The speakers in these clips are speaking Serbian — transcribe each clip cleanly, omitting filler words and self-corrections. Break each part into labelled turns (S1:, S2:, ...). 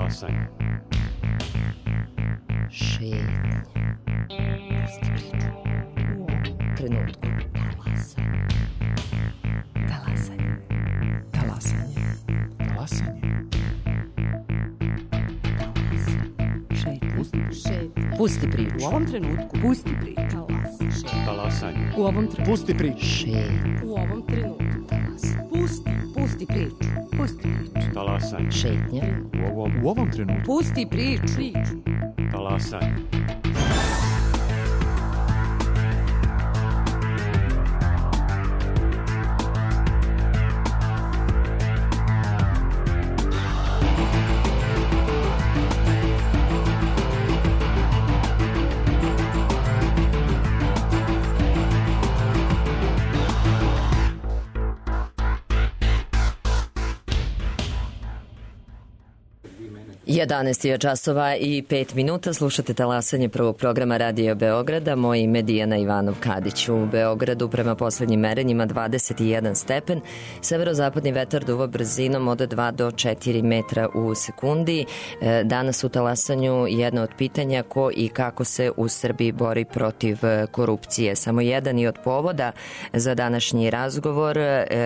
S1: Talasanje.
S2: Šetnje. Pusti priču. U ovom trenutku. Talasanje. Talasanje.
S3: Talasanje.
S2: Pusti priču.
S4: U ovom trenutku. Pusti priču.
S1: Talasanje.
S4: U ovom trenutku.
S3: Pusti priču.
S2: Šetnje.
S4: U ovom trenutku. Pusti priču. Pusti priču.
S1: Talasanje.
S2: Šetnja.
S3: U ovom trenutku.
S4: Pusti priču.
S1: Talasanje.
S2: Jedanaest je časova i 5 minuta. Slušate talasanje prvog programa Radio Beograda. Moje ime Dijana Ivanov Kadić. U Beogradu prema poslednjim merenjima 21 stepen. Severozapadni vetar duva brzinom od 2 do 4 metra u sekundi. Danas u talasanju jedno od pitanja ko i kako se u Srbiji bori protiv korupcije. Samo jedan i od povoda za današnji razgovor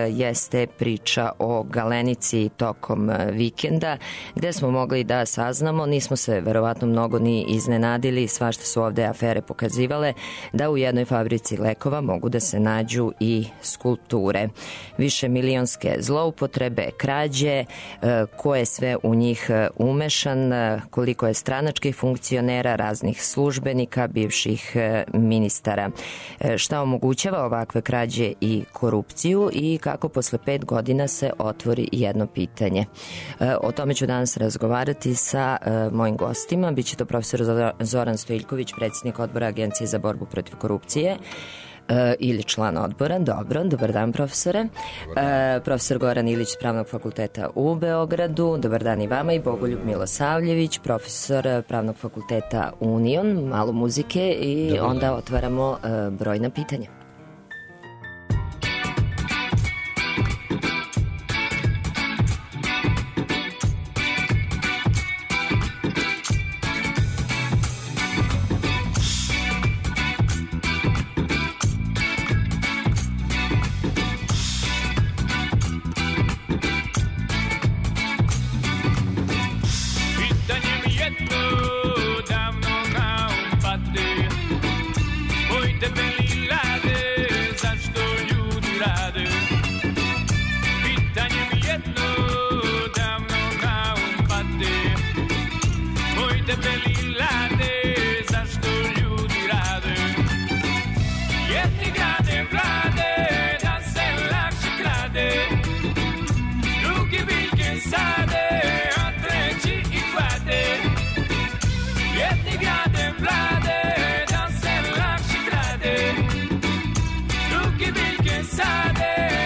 S2: jeste priča o Galenici tokom vikenda, gde smo mogli da saznamo, nismo se verovatno mnogo ni iznenadili, svašta su ovde afere pokazivale, da u jednoj fabrici lekova mogu da se nađu i skulpture. Više milionske zloupotrebe, krađe, ko je sve u njih umešan, koliko je stranačkih funkcionera, raznih službenika, bivših ministara. Šta omogućava ovakve krađe i korupciju i kako posle 5 godina se otvori jedno pitanje. O tome ću danas razgovarati sa mojim gostima. Biće to profesor Zoran Stojiljković, predsjednik odbora Agencije za borbu protiv korupcije ili član odbora. Dobro, dobar dan profesore. Profesor Goran Ilić s Pravnog fakulteta u Beogradu. Dobar dan i vama. I Bogoljub Milosavljević, profesor Pravnog fakulteta Union. Malo muzike i dobar onda otvaramo brojna pitanja.
S5: Sade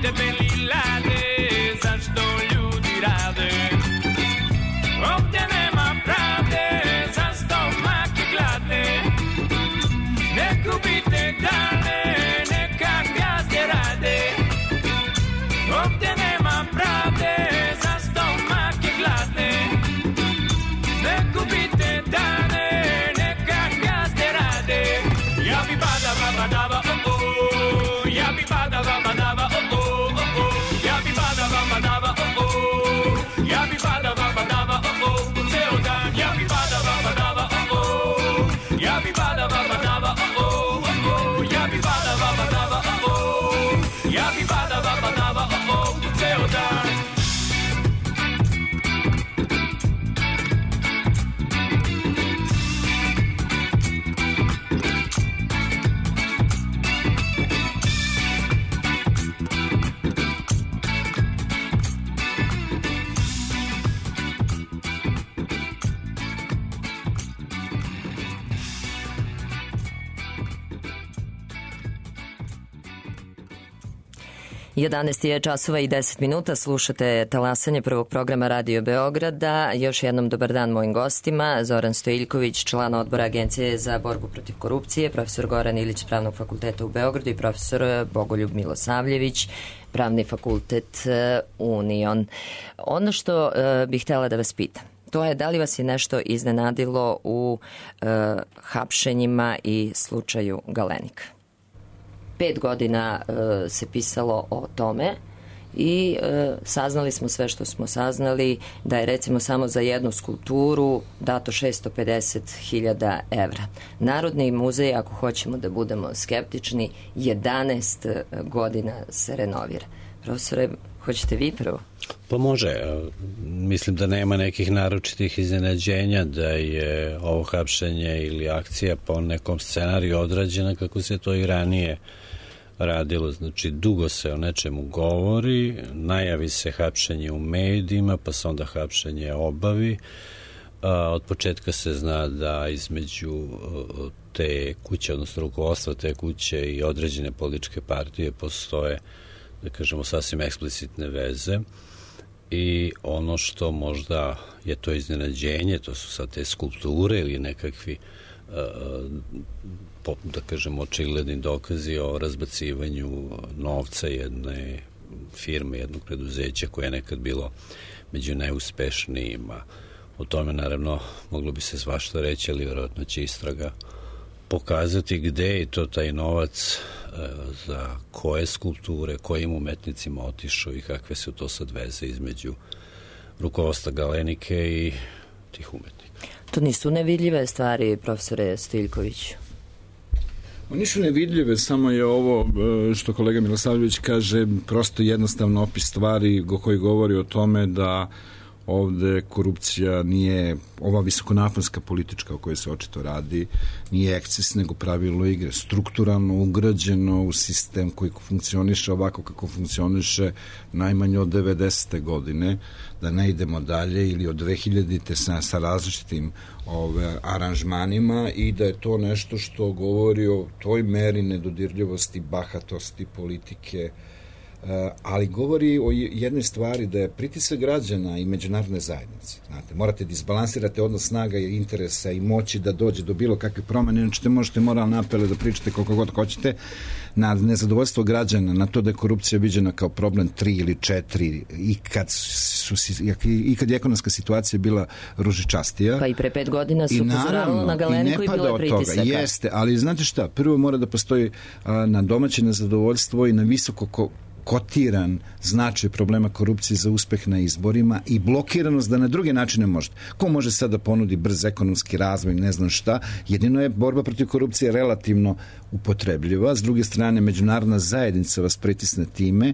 S5: tebe lilade, zašto ljudi rade? Ovdje nema pravde, za stomake gladne. Ne gubite dane, neka gazde rade. Ovdje nema pravde, za stomake gladne. Ne gubite dane, neka gazde rade. Ja bi badava, badava, oh oh. Ja bi badava, badava, oh oh, oh oh. Ja bi badava, badava, oh oh. Ja bi badava, badava, oh oh. Ceo dan, ja bi badava, badava, oh oh. Ja bi badava, badava, oh oh, oh oh. Ja bi badava, badava, oh oh. Ja bi badava, badava, oh oh. Ceo dan.
S2: Jedanaest je časova i 10 minuta, slušate talasanje prvog programa Radio Beograda. Još jednom dobar dan mojim gostima, Zoran Stojiljković, član odbora Agencije za borbu protiv korupcije, profesor Goran Ilić, Pravnog fakulteta u Beogradu i profesor Bogoljub Milosavljević, Pravni fakultet Union. Ono što bih htjela da vas pitam, to je da li vas je nešto iznenadilo u hapšenjima i slučaju Galenika? 5 godina se pisalo o tome i saznali smo sve što smo saznali, da je recimo samo za jednu skulpturu dato 650.000 evra. Narodni muzej, ako hoćemo da budemo skeptični, 11 godina se renovira. Profesore, hoćete vi prvo?
S6: Pa može. Mislim da nema nekih naročitih iznenađenja da je ovo hapšenje ili akcija po nekom scenariju odrađena kako se to i ranije radilo. Znači, dugo se o nečemu govori, najavi se hapšenje u medijima, pa se onda hapšenje obavi. Od početka se zna da između te kuće, odnosno rukovodstva te kuće i određene političke partije postoje, da kažemo, sasvim eksplicitne veze. I ono što možda je to iznenađenje, to su sad te skulpture ili nekakvi da kažemo očigledni dokazi o razbacivanju novca jedne firme, jednog preduzeća koje je nekad bilo među najuspešnijima. O tome naravno moglo bi se svašta reći, ali vjerojatno će istraga pokazati gde je to taj novac, za koje skulpture, kojim umetnicima otišao i kakve su to sad veze između rukovodstva Galenike i tih umetnika.
S2: To nisu nevidljive stvari, profesore Stojiljković?
S7: Nisu nevidljive, samo je ovo što kolega Milosavljević kaže prosto jednostavno opis stvari koji govori o tome da ovde korupcija nije ova visokonaponska politička o kojoj se očito radi, nije eksces nego pravilo igre, strukturalno ugrađeno u sistem koji funkcioniše ovako kako funkcioniše najmanje od 90. godine, da ne idemo dalje, ili od 2000-te sa različitim aranžmanima, i da je to nešto što govori o toj meri nedodirljivosti, bahatosti politike, ali govori o jednoj stvari, da je pritisak građana i međunarodne zajednice. Znate, morate da izbalansirate odnos snaga i interesa i moći da dođe do bilo kakve promene, inače možete moralne apele da pričate koliko god hoćete, na nezadovoljstvo građana, na to da je korupcija viđena kao problem 3 ili 4 i kad je ekonomska situacija bila ružičastija.
S2: Pa i pre 5 godina se upozoravalo na Galeniku i bilo je pritisaka.
S7: Jeste, ali znate šta, prvo mora da postoji na domaće nezadovoljstvo i na visoko kotiran značaj problema korupcije za uspeh na izborima i blokiranost da na druge načine možete. Ko može sad da ponudi brz ekonomski razvoj, ne znam šta, jedino je borba protiv korupcije relativno upotrebljiva, s druge strane međunarodna zajednica vas pritisne time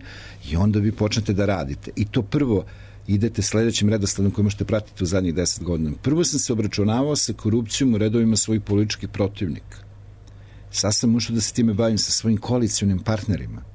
S7: i onda vi počnete da radite. I to prvo idete sledećim redosledom koji možete pratiti u zadnjih 10 godina. Prvo sam se obračunavao sa korupcijom u redovima svojih političkih protivnika. Sad sam ušao da se time bavim sa svojim koalicionim partnerima.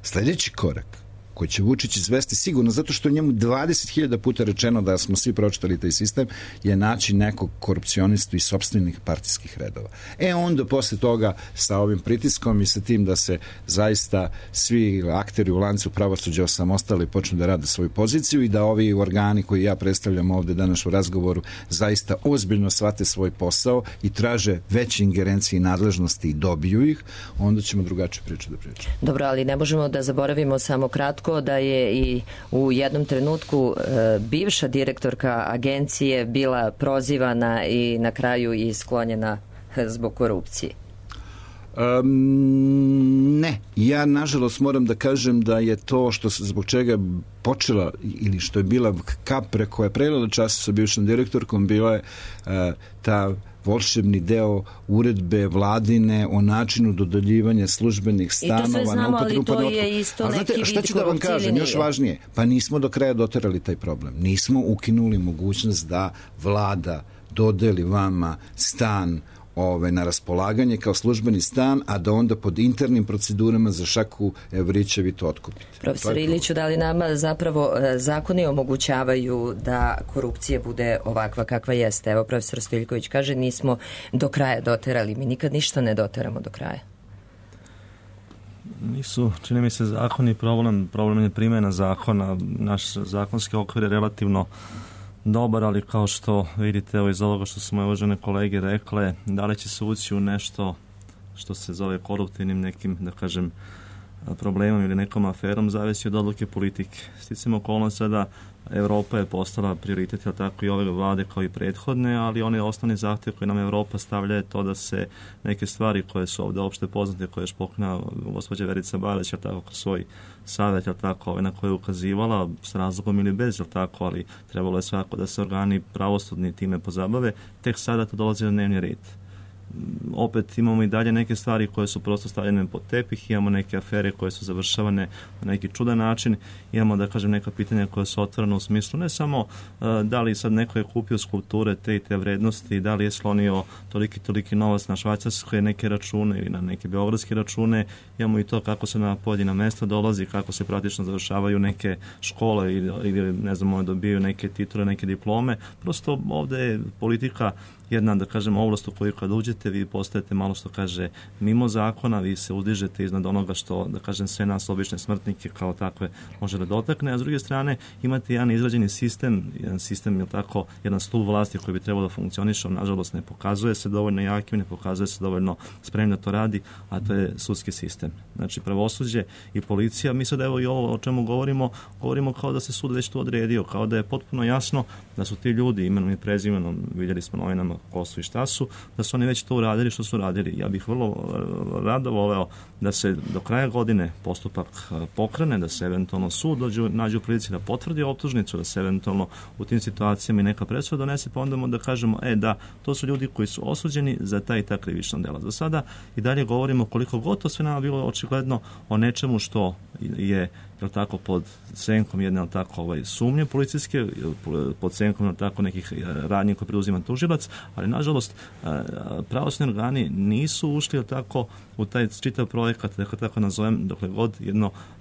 S7: Sledeći korak koji će Vučić izvesti sigurno, zato što je njemu 20.000 puta rečeno da smo svi pročitali taj sistem, je naći nekog korupcionistu iz sopstvenih partijskih redova. Onda posle toga sa ovim pritiskom i sa tim da se zaista svi akteri u lancu pravosuđa osamostali i počnu da rade svoju poziciju i da ovi organi koji ja predstavljam ovde danas u razgovoru zaista ozbiljno shvate svoj posao i traže veće ingerencije i nadležnosti i dobiju ih, onda ćemo drugačije priču da pričamo.
S2: Dobro, ali ne možemo da zaboravimo samo kratko da je i u jednom trenutku bivša direktorka agencije bila prozivana i na kraju i sklonjena zbog korupcije.
S7: Ne, ja nažalost moram da kažem da je to što zbog čega počela ili što je bila kap koja je prelila čas sa bivšom direktorkom bila je ta volšebni deo uredbe vladine o načinu dodeljivanja službenih stanova.
S2: I to sve znamo, ali to je isto neki vid korupcije.
S7: Šta ću da vam kažem, još važnije, pa nismo do kraja doterali taj problem. Nismo ukinuli mogućnost da vlada dodeli vama stan na raspolaganje kao službeni stan, a da onda pod internim procedurama za šaku evrića vi to otkupite.
S2: Profesor Iliću, da li nama zapravo zakoni omogućavaju da korupcija bude ovakva kakva jeste? Evo, profesor Stojiljković kaže, nismo do kraja doterali. Mi nikad ništa ne doteramo do kraja.
S8: Nisu, čini mi se, zakoni problem je primjena zakona. Naš zakonski okvir je relativno dobar, ali kao što vidite iz ovoga što su moje uvažene kolege rekle, da li će se ući u nešto što se zove koruptivnim nekim, da kažem, problemom ili nekom aferom, zavisi od odluke politike. Sticam okolnost sada, Evropa je postala prioritet, ali tako i ove vlade kao i prethodne, ali one osnovni zahtjev koje nam Evropa stavlja je to da se neke stvari koje su ovdje opšte poznate, koje je špoknula gospođa Verica Barać, ali tako kroz svoj savjet, ali tako, na koje je ukazivala s razlogom ili bez, ali tako, ali trebalo je svako da se organi pravosudni time pozabave, tek sada to dolazi na dnevni red. Opet imamo i dalje neke stvari koje su prosto stavljene pod tepih, imamo neke afere koje su završavane na neki čudan način, imamo, da kažem, neka pitanja koja su otvorena u smislu ne samo da li sad neko je kupio skulpture te i te vrednosti, da li je slonio toliki novac na švajcarske neke račune ili na neke beogradske račune, imamo i to kako se na pojedina mesta dolazi, kako se praktično završavaju neke škole ili ne znam, dobijaju neke titule, neke diplome. Prosto ovde je politika jedna, da kažem, ovlast u koju kad uđete vi postajete malo što kaže mimo zakona, vi se uzdižete iznad onoga što, da kažem, sve nas obične smrtnike kao takve može da dotakne, a s druge strane imate jedan izrađeni sistem, je tako, jedan stup vlasti koji bi trebao da funkcioniše, nažalost ne pokazuje se dovoljno jakim, ne pokazuje se dovoljno spremno da to radi, a to je sudski sistem. Znači pravosuđe i policija, mi sad evo i ovo o čemu govorimo kao da se sud već to odredio, kao da je potpuno jasno da su ti ljudi imenom i prezimenom, vidjeli smo novinama ko su i šta su, da su oni već to uradili što su radili. Ja bih vrlo rado voleo da se do kraja godine postupak pokrene, da se eventualno sud nađe u prilici da potvrdi optužnicu, da se eventualno u tim situacijama i neka presuda donese, pa onda da kažemo, da, to su ljudi koji su osuđeni za ta i ta krivična dela. Za sada i dalje govorimo koliko god to sve nama bilo očigledno o nečemu što je tako pod senkom jedne tako sumnje policijske, pod senkom tako nekih radnji koje preuzima tužilac, ali nažalost pravosudni organi nisu ušli tako u taj čitav projekat, da tako nazovem, dokle god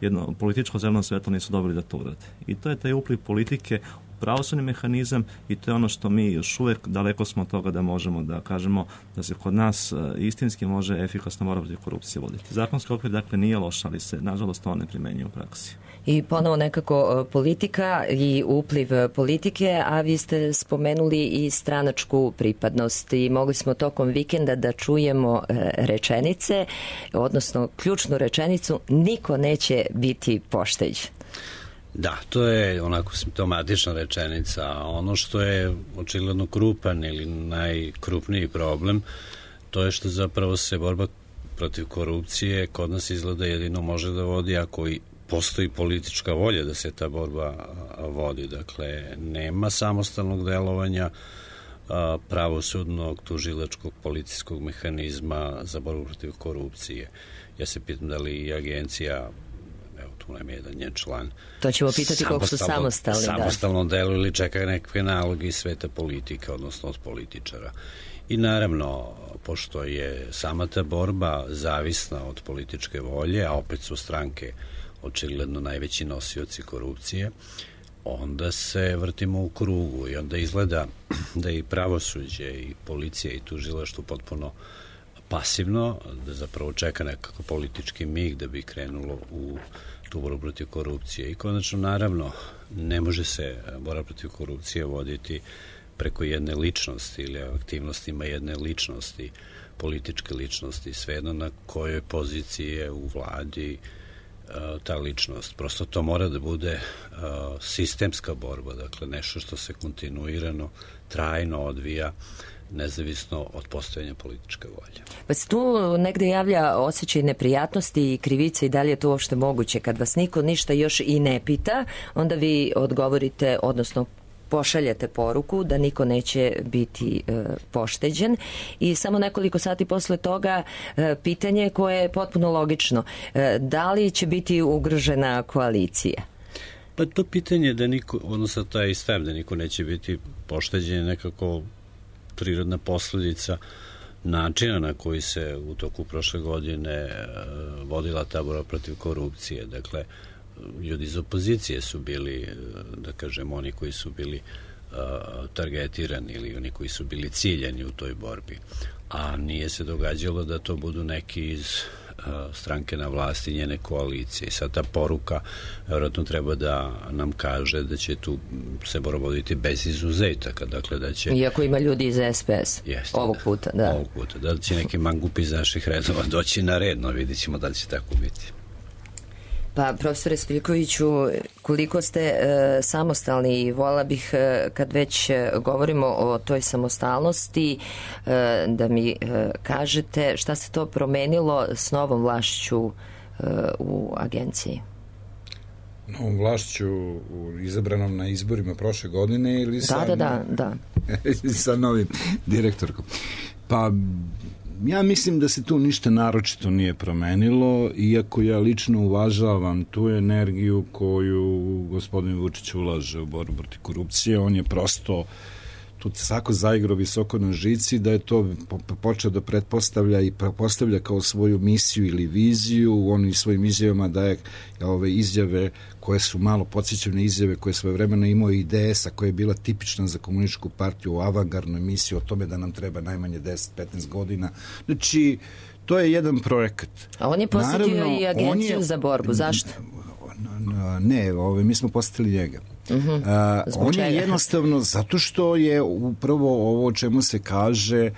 S8: jedno političko zeleno svetlo nisu dobili da to urade. I to je taj upliv politike pravosudni mehanizam i to je ono što mi još uvijek daleko smo od toga da možemo da kažemo da se kod nas istinski može efikasno borba protiv korupcije voditi. Zakonski okvir dakle nije loš, ali se nažalost to ne primenjuje u praksi.
S2: I ponovo nekako politika i upliv politike, a vi ste spomenuli i stranačku pripadnost i mogli smo tokom vikenda da čujemo rečenice, odnosno ključnu rečenicu, niko neće biti pošteđen.
S6: Da, to je onako simptomatična rečenica. Ono što je očigledno krupan ili najkrupniji problem, to je što zapravo se borba protiv korupcije kod nas izgleda jedino može da vodi ako i postoji politička volja da se ta borba vodi. Dakle, nema samostalnog delovanja pravosudnog, tužilačkog, policijskog mehanizma za borbu protiv korupcije. Ja se pitam da li i agencija, tu nam je jedan njen član,
S2: to ćemo pitati koliko su samostalni.
S6: Samostalno deluju ili čekaju neke naloge iz sveta politike, odnosno od političara. I naravno, pošto je sama ta borba zavisna od političke volje, a opet su stranke očigledno najveći nosioci korupcije, onda se vrtimo u krugu i onda izgleda da i pravosuđe i policija i tužilaštvo potpuno pasivno, da zapravo čeka nekako politički mig da bi krenulo u tu borbu protiv korupcije. I konačno, naravno, ne može se borba protiv korupcije voditi preko jedne ličnosti ili aktivnostima jedne ličnosti, političke ličnosti, svejedno na kojoj poziciji je u vladi ta ličnost. Prosto to mora da bude sistemska borba, dakle nešto što se kontinuirano, trajno odvija, nezavisno od postojanja političke volje.
S2: Pa se tu negde javlja osjećaj neprijatnosti i krivice i da li je to uopšte moguće? Kad vas niko ništa još i ne pita, onda vi odgovorite, odnosno pošaljete poruku da niko neće biti pošteđen i samo nekoliko sati posle toga pitanje koje je potpuno logično. Da li će biti ugrožena koalicija?
S6: Pa to pitanje da niko, odnosno taj stav da niko neće biti pošteđen je nekako prirodna posledica načina na koji se u toku prošle godine vodila ta borba protiv korupcije. Dakle, ljudi iz opozicije su bili, da kažem, oni koji su bili targetirani ili oni koji su bili ciljani u toj borbi. A nije se događalo da to budu neki iz stranke na vlasti, njene koalicije. I sad ta poruka vjerojatno treba da nam kaže da će tu se borba voditi bez izuzetaka. Dakle, da će...
S2: Iako ima ljudi iz SPS.
S6: Jeste,
S2: ovog puta, da.
S6: Ovog puta. Da će neki mangupi iz naših redova doći na red, no vidit ćemo da li će tako biti.
S2: Pa, profesore Stojiljkoviću, koliko ste samostalni i vola bih, kad već govorimo o toj samostalnosti, da mi kažete šta se to promenilo s novom vlašću u agenciji?
S7: Novom vlašću izabranom na izborima prošle godine ili
S2: Da.
S7: sa novim direktorkom? Pa, ja mislim da se tu ništa naročito nije promenilo, iako ja lično uvažavam tu energiju koju gospodin Vučić ulaže u borbu protiv korupcije. On je prosto tu svako zaigrao visoko na žici, da je to počeo da pretpostavlja i postavlja kao svoju misiju ili viziju. On i svojim izjavama daje ove izjave koje su malo podsjećane izjave koje svoje vremena imao i IDS-a, koja je bila tipična za komunističku partiju, u avangardnoj misiji o tome da nam treba najmanje 10-15 godina. Znači, to je jedan projekat.
S2: A on je posjetio i agenciju za borbu. Zašto?
S7: Ne, mi smo posjetili njega. On je jednostavno zato što je upravo ovo o čemu se kaže,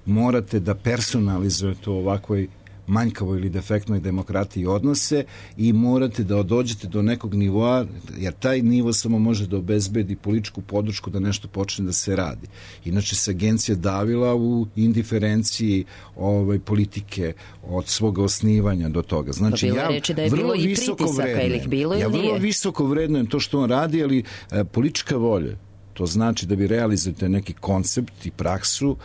S7: morate da personalizujete ovakvoj manjkavoj ili defektnoj demokratiji odnose i morate da dođete do nekog nivoa, jer taj nivo samo može da obezbedi političku podršku da nešto počne da se radi. Inače se agencija davila u indiferenciji politike od svog osnivanja do toga. Znači,
S2: ja vrlo visoko vrednujem.
S7: Ja vrlo visoko vrednujem to što on radi, ali politička volja, to znači da vi realizujete neki koncept i praksu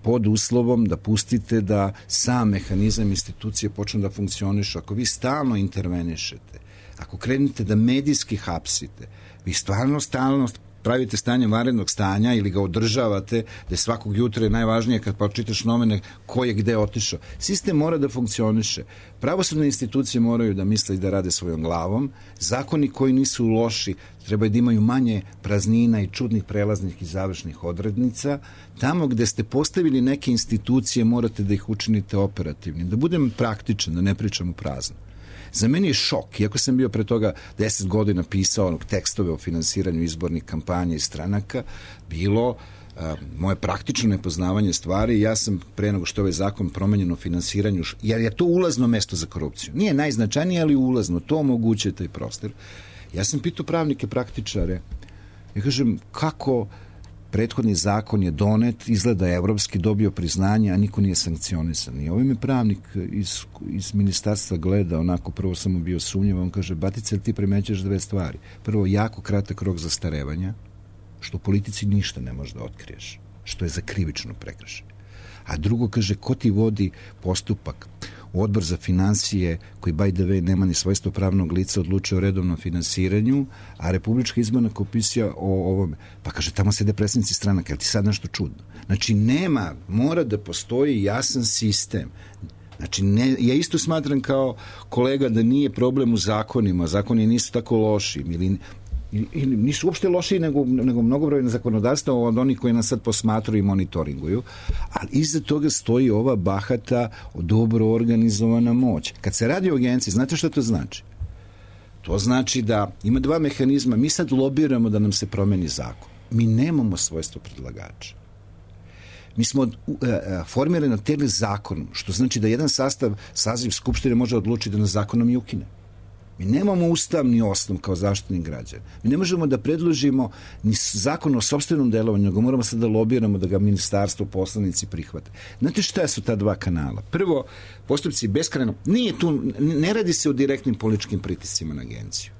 S7: pod uslovom da pustite da sam mehanizam institucije počne da funkcioniše. Ako vi stalno intervenišete, ako krenete da medijski hapsite, vi stalno pravite stanje vanrednog stanja ili ga održavate, da je svakog jutra je najvažnije kad pročitaš novine ko je gde otišao. Sistem mora da funkcioniše. Pravosudne institucije moraju da misle i da rade svojom glavom. Zakoni koji nisu loši treba da imaju manje praznina i čudnih prelaznih i završnih odrednica. Tamo gde ste postavili neke institucije morate da ih učinite operativnim. Da budem praktičan, da ne pričam u prazno. Za meni je šok, iako sam bio pre toga 10 godina pisao tekstove o finansiranju izbornih kampanja i stranaka, bilo moje praktično nepoznavanje stvari. Ja sam pre nego što je ovaj zakon promenjen o finansiranju, jer je to ulazno mesto za korupciju. Nije najznačajnije, ali ulazno. To omogućuje taj prostor. Ja sam pitao pravnike, praktičare, ja kažem, kako prethodni zakon je donet, izgleda evropski, dobio priznanje, a niko nije sankcionisan. I ovaj me pravnik iz ministarstva gleda, onako prvo sam mu bio sumnjiv, on kaže, Batica, ti primećaš dve stvari. Prvo, jako kratak rok zastarevanja, što u politici ništa ne možeš da otkriješ, što je za krivično prekršaj. A drugo, kaže, ko ti vodi postupak? Odbor za finansije, koji by the way nema ni svojstvo pravnog lica, odlučuje o redovnom finansiranju, a Republička izborna komisija o ovome. Pa kaže, tamo sede predstavnici stranaka, je li ti sad nešto čudno? Znači, mora da postoji jasan sistem. Znači, ja isto smatram kao kolega da nije problem u zakonima, zakoni nisu tako loši, ili nisu uopšte lošiji nego mnogobrojno zakonodavstva od onih koji nas sad posmatruju i monitoringuju, ali iza toga stoji ova bahata, dobro organizovana moć. Kad se radi o agenciji, znate što to znači? To znači da ima dva mehanizma. Mi sad lobiramo da nam se promeni zakon. Mi nemamo svojstvo predlagača. Mi smo formirani na tele zakonom, što znači da jedan saziv Skupštine može odlučiti da nas zakonom i ukine. Mi nemamo ustavni osnov kao zaštitnik građana. Mi ne možemo da predložimo ni zakon o sopstvenom delovanju, nego moramo sad da lobiramo da ga ministarstvo, poslanici prihvate. Znate šta su ta dva kanala? Prvo, postupci beskrajno, ne radi se o direktnim političkim pritiscima na agenciju.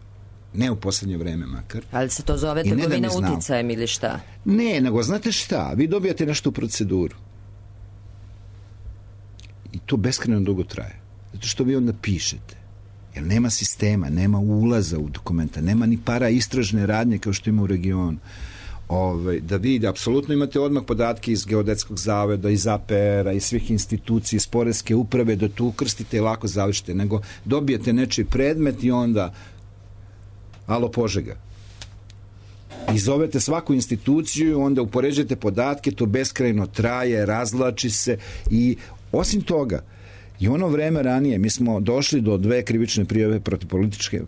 S7: Ne u poslednje vreme makar.
S2: Ali se to zove trgovina uticajem ili šta?
S7: Ne, nego znate šta? Vi dobijate nešto u proceduru. I to beskrajno dugo traje. Zato što vi onda pišete. Jer nema sistema, nema ulaza u dokumenta, nema ni para istražne radnje kao što ima u regionu. Da vi apsolutno imate odmah podatke iz Geodetskog zavoda, iz APR-a, iz svih institucija, iz Poreske uprave, da tu ukrstite i lako završite, nego dobijete nečiji predmet i onda alo Požega. I zovete svaku instituciju, onda upoređujete podatke, to beskrajno traje, razvlači se i osim toga, i ono vreme ranije, mi smo došli do 2 krivične prijave protiv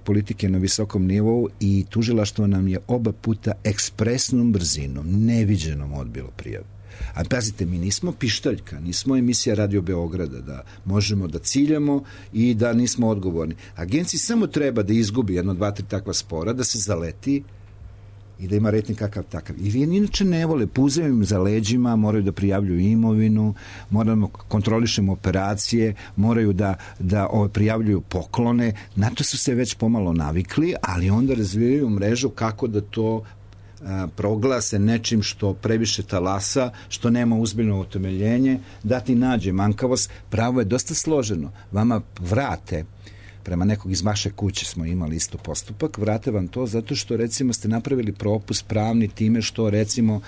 S7: politike na visokom nivou i tužilaštvo nam je oba puta ekspresnom brzinom, neviđenom odbilo prijave. A pazite, mi nismo pištaljka, nismo emisija Radio Beograda da možemo da ciljamo i da nismo odgovorni. Agenciji samo treba da izgubi 1, 2, 3 takva spora, da se zaleti i da ima rejting kakav takav. I inače ne vole, puzaju im za leđima, moraju da prijavljuju imovinu, moramo kontrolišemo operacije, moraju da prijavljuju poklone. Na to su se već pomalo navikli, ali onda razvijaju mrežu kako da to proglase nečim što previše talasa, što nema uzbiljno utemeljenje, da ti nađe manjkavost. Pravo je dosta složeno. Vama vrate, prema nekog iz vaše kuće smo imali isto postupak, vrate vam to zato što recimo ste napravili propust pravni time što recimo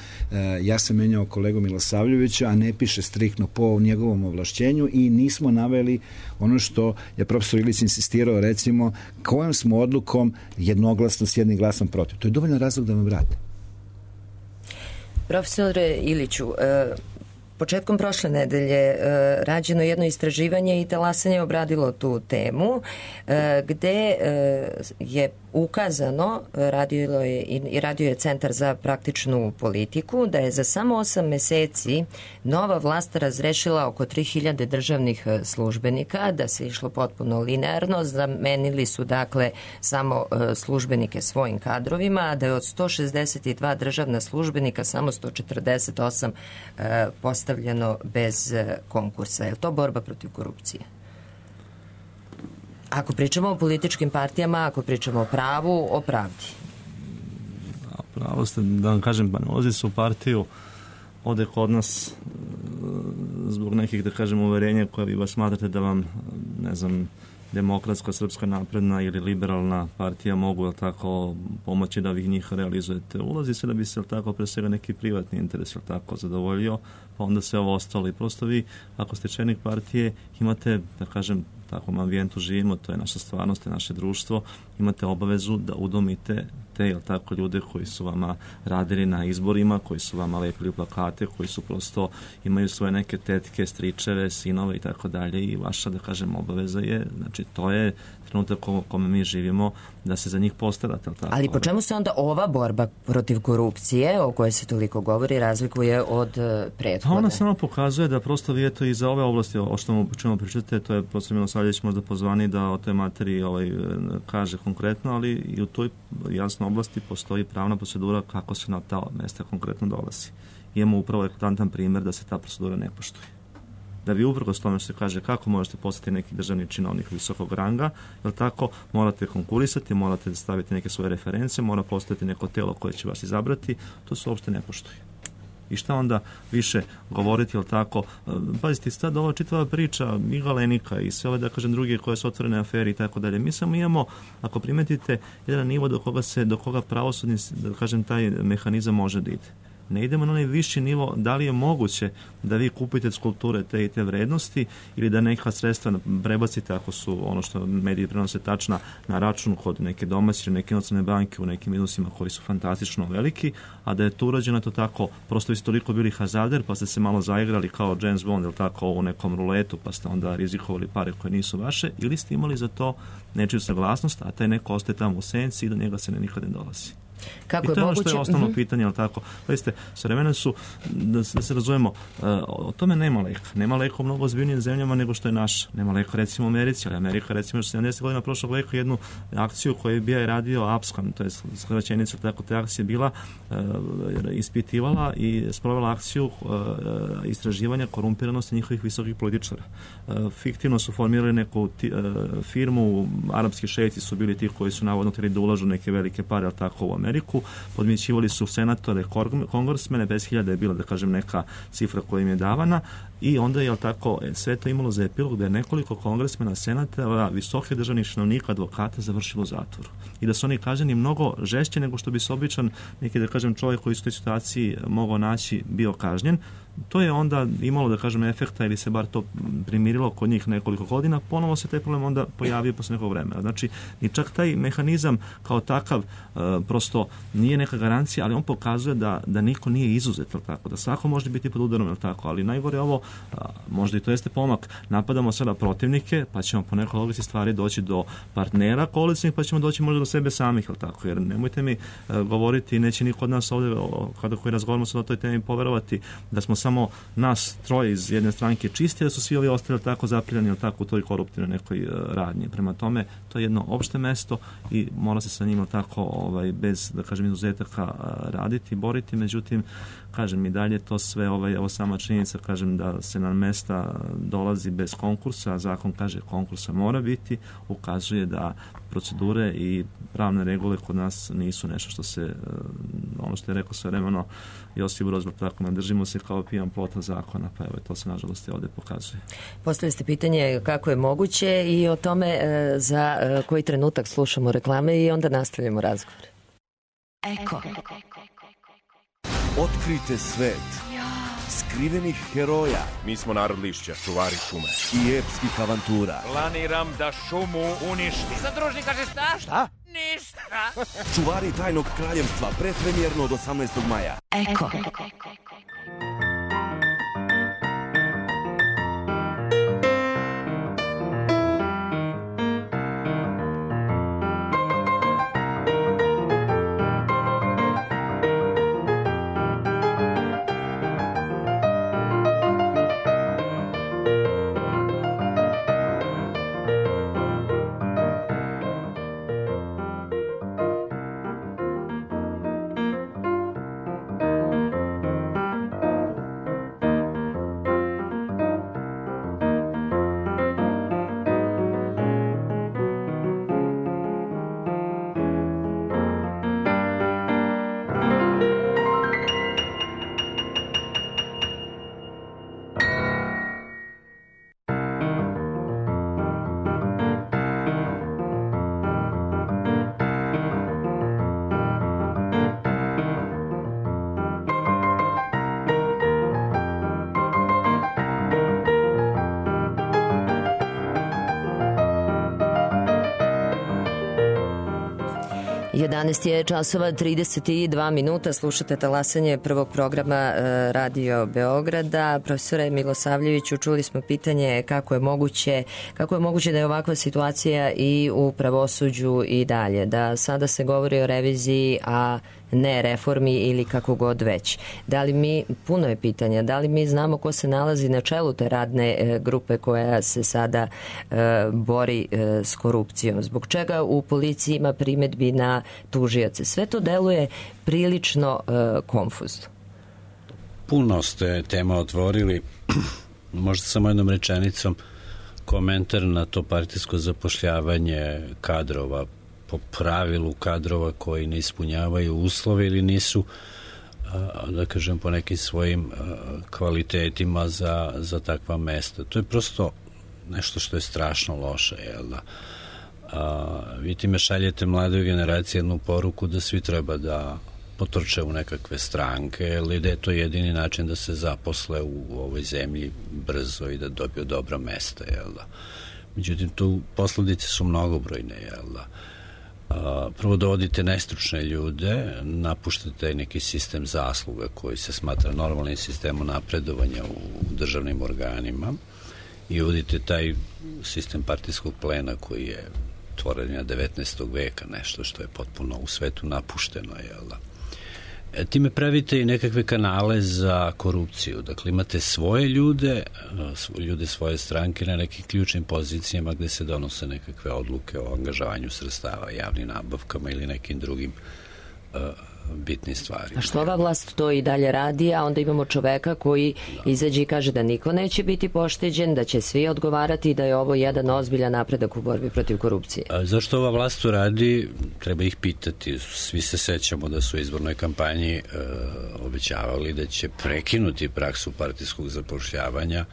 S7: ja sam menjao kolegu Milosavljevića, a ne piše striktno po njegovom ovlašćenju i nismo naveli ono što je profesor Ilić insistirao, recimo kojom smo odlukom jednoglasno s jednim glasom protiv. To je dovoljno razlog da vam vrate.
S2: Profesore Iliću, početkom prošle nedelje rađeno jedno istraživanje i Talasanje je obradilo tu temu gde je ukazano, radio je Centar za praktičnu politiku, da je za samo 8 meseci nova vlast razrešila oko 3000 državnih službenika, da se išlo potpuno linearno, zamenili su dakle samo službenike svojim kadrovima, a da je od 162 državna službenika samo 148 postavljeno bez konkursa. Je li to borba protiv korupcije? Ako pričamo o političkim partijama, ako pričamo o pravu, o pravdi.
S8: Pravo ste, da vam kažem, pa ne ulazi se u partiju, ovde kod nas zbog nekih, da kažem, uverenja koje vi vas smatrate da vam, ne znam, Demokratska, Srpska napredna ili liberalna partija mogu tako pomoći da vi njih realizujete. Ulazi se da bi se tako pre svega neki privatni interes tako zadovoljio, pa onda sve ovo ostalo. I prosto vi, ako ste čelnik partije, imate, da kažem, takvom ambijentu živimo, to je naša stvarnost, to je naše društvo, imate obavezu da udomite te, jel tako, ljude koji su vama radili na izborima, koji su vama lepili plakate, koji su prosto, imaju svoje neke tetke, stričeve, sinove i tako dalje i vaša, da kažem, obaveza je, znači to je trenutak u kome mi živimo, da se za njih postarate. Tako?
S2: Ali po čemu se onda ova borba protiv korupcije, o kojoj se toliko govori, razlikuje od prethodne?
S8: Ona samo pokazuje da prosto vi eto i za ove oblasti, o čemu pričate, to je profesor Milosavljević možda pozvani da o toj materiji kaže konkretno, ali i u toj jasnoj oblasti postoji pravna procedura kako se na ta mesta konkretno dolazi. Imamo upravo eklatantan primjer da se ta procedura ne poštuje. Da vi uprkos tome što se kaže kako možete postati neki državni činovnik visokog ranga, jer tako morate konkurisati, morate staviti neke svoje reference, mora postati neko telo koje će vas izabrati, to se uopšte ne poštuje. I šta onda više govoriti, jel tako? Pazite, sad ova čitava priča i Galenika i sve ove, da kažem, druge koje su otvorene afere i tako dalje. Mi samo imamo, ako primetite, jedan nivo do koga pravosudni, da kažem, taj mehanizam može da ide. ne idemo na onaj viši nivo, da li je moguće da vi kupite skulpture te i te vrednosti ili da neka sredstva prebacite, ako su ono što mediji prenose tačna, na račun kod neke domaće, neke inostrane banke u nekim iznosima koji su fantastično veliki, a da je to urađeno to tako, prosto vi ste toliko bili hazarder, pa ste se malo zaigrali kao James Bond, ili tako, u nekom ruletu, pa ste onda rizikovali pare koje nisu vaše, ili ste imali za to nečiju saglasnost, a taj neko ostaje tamo u senci i do njega se nikad ne dolazi.
S2: Kako
S8: I to je ono što je osnovno pitanje, ali tako. Vidite, s vremena su, da se razumemo, o tome nema leka. Nema leka u mnogo ozbiljnijim zemljama nego što je naša. Nema leka recimo u Americi, ali Amerika recimo 70 godina prošlog veka jednu akciju koju je bio radio Abscon, to je skraćenica, tako te akcije bila, ispitivala i sprovela akciju istraživanja korumpiranosti njihovih visokih političara. Fiktivno su formirali neku firmu, arapski šejci su bili ti koji su navodno htjeli da ulažu neke velike pare, ali tako u Ameriku, podmićivali su senatore, kongresmene, 10.000 je bila, da kažem, neka cifra koja im je davana, i onda je tako sve to imalo za epilog da je nekoliko kongresmena, senatora, visokih državnih činovnika, advokata završilo u zatvoru. I da su oni kažnjeni mnogo žešće nego što bi se običan neki, da kažem, čovjek koji su u toj situaciji mogao naći bio kažnjen. To je onda imalo, da kažem, efekta ili se bar to primirilo kod njih nekoliko godina, ponovo se taj problem onda pojavio posle nekog vremena. Znači, i čak taj mehanizam kao takav prosto nije neka garancija, ali on pokazuje da niko nije izuzet, tako, da svako može biti pod udarom, tako, ali najgore ovo, možda i to jeste pomak, napadamo sada protivnike, pa ćemo po nekoj logici stvari doći do partnera koalicijnih, pa ćemo doći možda do sebe samih, tako, jer nemojte mi govoriti, neće niko od nas ovdje, kada koji razgovaramo sad o toj temi, poverovati da smo samo nas troje iz jedne stranke čisti, da su svi ovi ostali tako zapirani, tako, u toj koruptivnoj nekoj radnji. Prema tome, to je jedno opšte mesto i mora se sa njima tako, bez, da kažem, izuzetaka raditi, boriti, međutim, kažem, i dalje to sve, ovo sama činjenica, kažem, da se na mesta dolazi bez konkursa, a zakon kaže konkursa mora biti, ukazuje da procedure i pravne regule kod nas nisu nešto što se, ono što je rekao svojevremeno Josip Broz, tako, ne držimo se kao pijan plota zakona, pa evo, to se nažalost i ovdje pokazuje.
S2: Postavili ste pitanje kako je moguće i o tome za koji trenutak slušamo reklame i onda nastavljamo razgovor.
S9: Eko. Otkrijte svet skrivenih heroja.
S10: Mi smo narod lišća, čuvari šume.
S9: I epskih avantura.
S10: Planiram da šumu uništim.
S11: Zadružnik kaže šta?
S9: Šta?
S11: Ništa.
S9: Čuvari tajnog kraljevstva, predpremjerno od 18. maja.
S2: Eko. Jedanaest je časova 32 minuta, slušate talasanje prvog programa Radio Beograda. Profesore Milosavljeviću, čuli smo pitanje kako je moguće da je ovakva situacija i u pravosuđu i dalje, da sada se govori o reviziji, a ne reformi ili kako god već. Da li mi, puno je pitanja, da li mi znamo ko se nalazi na čelu te radne grupe koja se sada bori s korupcijom? Zbog čega u policiji ima primedbi na tužioce? Sve to deluje prilično konfuzno.
S6: Puno ste tema otvorili. Možda samo jednom rečenicom komentar na to partijsko zapošljavanje kadrova, po pravilu kadrova koji ne ispunjavaju uslove ili nisu, da kažem, po nekim svojim kvalitetima za takva mesta. To je prosto nešto što je strašno loše, jel da? Vi time šaljete mladoj generaciji jednu poruku da svi treba da potrče u nekakve stranke, ili da je to jedini način da se zaposle u ovoj zemlji brzo i da dobiju dobra mesta, jel da? Međutim, tu posledice su mnogobrojne, jel da? Prvo dovodite nestručne ljude, napuštate neki sistem zasluga koji se smatra normalnim sistemom napredovanja u državnim organima i uvodite taj sistem partijskog plena koji je tvorenja 19. veka, nešto što je potpuno u svetu napušteno, jel da? Time pravite i nekakve kanale za korupciju. Dakle, imate svoje ljude svoje stranke na nekim ključnim pozicijama gde se donose nekakve odluke o angažavanju sredstava, javnim nabavkama ili nekim drugim bitnim stvarima.
S2: A što ova vlast to i dalje radi, a onda imamo čoveka koji izađe i kaže da niko neće biti pošteđen, da će svi odgovarati i da je ovo jedan ozbiljan napredak u borbi protiv korupcije.
S6: Zašto ova vlast to radi? Treba ih pitati. Svi se sećamo da su u izbornoj kampanji obećavali da će prekinuti praksu partijskog zapošljavanja.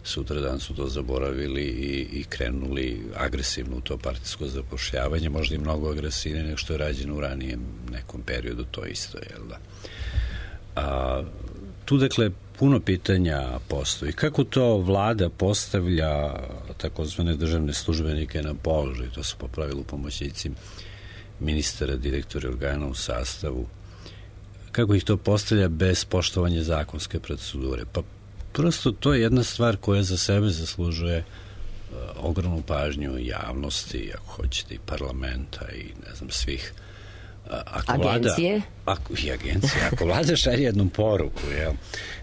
S6: Sutradan su to zaboravili i krenuli agresivno u to partijsko zapošljavanje, možda i mnogo agresivnije nego što je rađeno u ranijem nekom periodu, to isto, jel da? Tu, dakle, puno pitanja postoji. Kako to vlada postavlja takozvane državne službenike na položaj? To su po pravilu pomoćnici ministara, direktori organa u sastavu. Kako ih to postavlja bez poštovanja zakonske procedure? Pa prosto to je jedna stvar koja za sebe zaslužuje ogromnu pažnju javnosti, ako hoćete i parlamenta i ne znam svih.
S2: Agencije?
S6: Ako vlada šalje jednu poruku,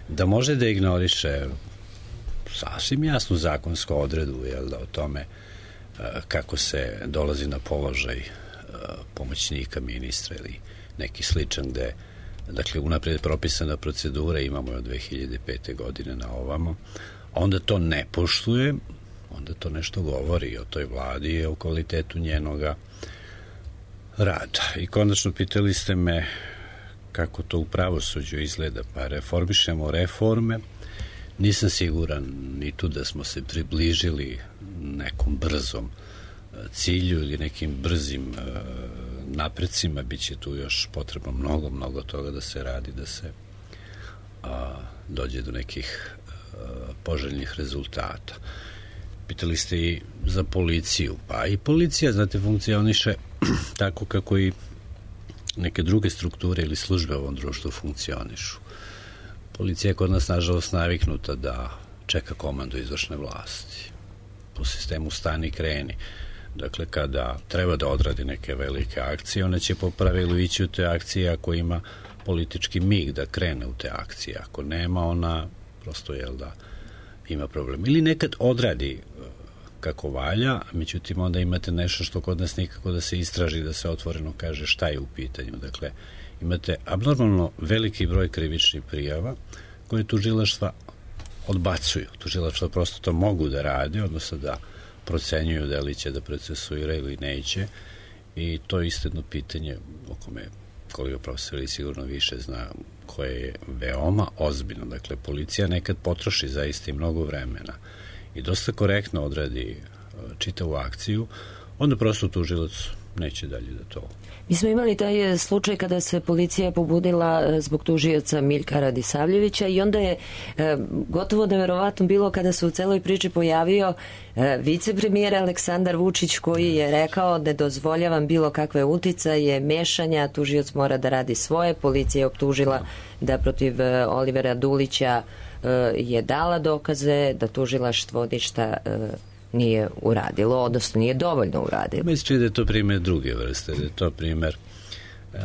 S6: da može da ignoriše sasvim jasnu zakonsku odredbu, o tome kako se dolazi na položaj pomoćnika ministra ili neki sličan gde, dakle, unapred propisana procedura, imamo je od 2005. godine na ovamo, onda to ne poštuje, onda to nešto govori o toj vladi i o kvalitetu njenoga rada. I konačno pitali ste me kako to u pravosuđu izgleda, pa reformišemo reforme. Nisam siguran ni tu da smo se približili nekom brzom cilju ili nekim brzim naprecima. Biće tu još potrebno mnogo toga da se radi, da se dođe do nekih poželjnih rezultata. Pitali ste i za policiju. Pa i policija, znate, funkcioniše tako kako i neke druge strukture ili službe u ovom društvu funkcionišu. Policija je kod nas, nažalost, naviknuta da čeka komandu izvršne vlasti. Po sistemu stani kreni. Dakle, kada treba da odradi neke velike akcije, ona će po pravilu ići u te akcije ako ima politički mig da krene u te akcije. Ako nema, ona prosto, ima problem. Ili nekad odradi kako valja, međutim, onda imate nešto što kod nas nikako da se istraži, da se otvoreno kaže šta je u pitanju. Dakle, imate abnormalno veliki broj krivičnih prijava koje tužilaštva odbacuju. Tužilaštva prosto to mogu da rade, odnosno da procenjuju da li će da procesuira ili neće, i to je isto jedno pitanje o kome kolega profesor i sigurno više zna, koje je veoma ozbiljno. Dakle, policija nekad potroši zaista i mnogo vremena i dosta korektno odradi čitavu akciju, onda prosto tužilac neće dalje da to.
S2: Mi smo imali taj slučaj kada se policija pobudila zbog tužioca Miljka Radisavljevića i onda je gotovo neverovatno bilo kada se u celoj priči pojavio vicepremijer Aleksandar Vučić, koji je rekao da dozvoljavam bilo kakve uticaje, mešanja, tužioc mora da radi svoje. Policija je optužila da protiv Olivera Dulića je dala dokaze, da tužilaštvo ništa nije uradilo, odnosno nije dovoljno uradilo.
S6: Mislim da je to primjer druge vrste, da je to primjer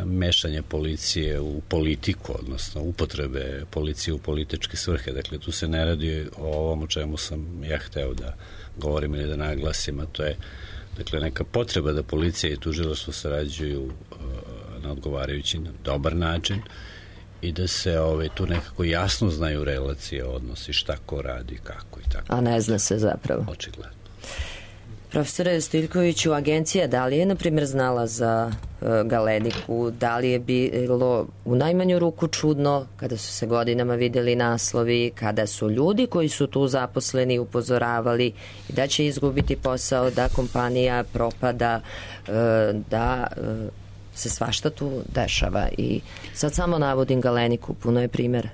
S6: mešanja policije u politiku, odnosno upotrebe policije u političke svrhe. Dakle, tu se ne radi o ovom o čemu sam ja hteo da govorim ili da naglasim, a to je, dakle, neka potreba da policija i tužilaštvo sarađuju na odgovarajući, na dobar način i da se tu nekako jasno znaju relacije, odnosi, šta ko radi, kako i tako.
S2: A ne zna se zapravo.
S6: Očigledno.
S2: Profesore Stojiljkoviću, agencija da li je, na primjer, znala za Galeniku? Da li je bilo u najmanju ruku čudno kada su se godinama videli naslovi, kada su ljudi koji su tu zaposleni upozoravali da će izgubiti posao, da kompanija propada, da se svašta tu dešava i sad samo navodim Galeniku, puno je primjera.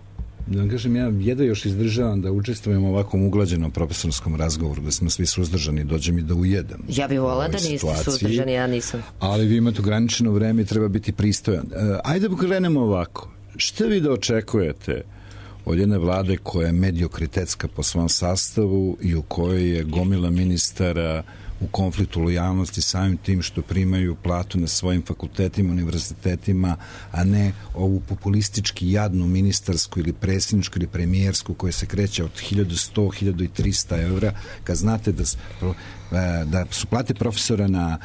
S7: Da vam kažem, ja jedva još izdržavam da učestvujem u ovakvom uglađenom profesorskom razgovoru, da smo svi suzdržani, dođe mi da ujedam.
S2: Ja bih volila da niste suzdržani, ja nisam.
S7: Ali vi imate ograničeno vreme i treba biti pristojan. Ajde da krenemo ovako. Šta vi da očekujete od jedne vlade koja je mediokritetska po svom sastavu i u kojoj je gomila ministara u konfliktu lojalnosti samim tim što primaju platu na svojim fakultetima, univerzitetima, a ne ovu populistički jadnu ministarsku ili predsjedničku ili premijersku koja se kreće od 1100, 1300 evra, kad znate da su plate profesora na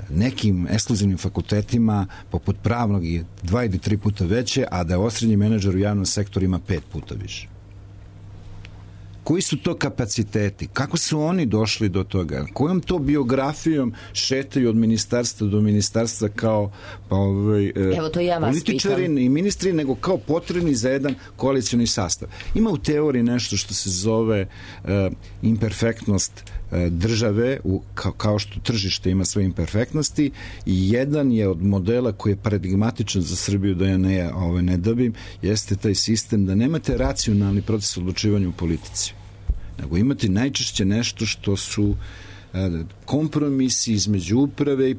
S7: nekim ekskluzivnim fakultetima poput pravnog i 2 ili 3 puta veće, a da je osrednji menadžer u javnom sektoru ima 5 puta više. Koji su to kapaciteti? Kako su oni došli do toga? Kojom to biografijom šetaju od ministarstva do ministarstva kao političari i ministri, nego kao potrebni za jedan koalicioni sastav? Ima u teoriji nešto što se zove imperfektnost države, kao što tržište ima svoje imperfektnosti, i jedan je od modela koji je paradigmatičan za Srbiju, da ja ne dabim, jeste taj sistem da nemate racionalni proces odlučivanja u politici, nego imate najčešće nešto što su kompromisi između uprave i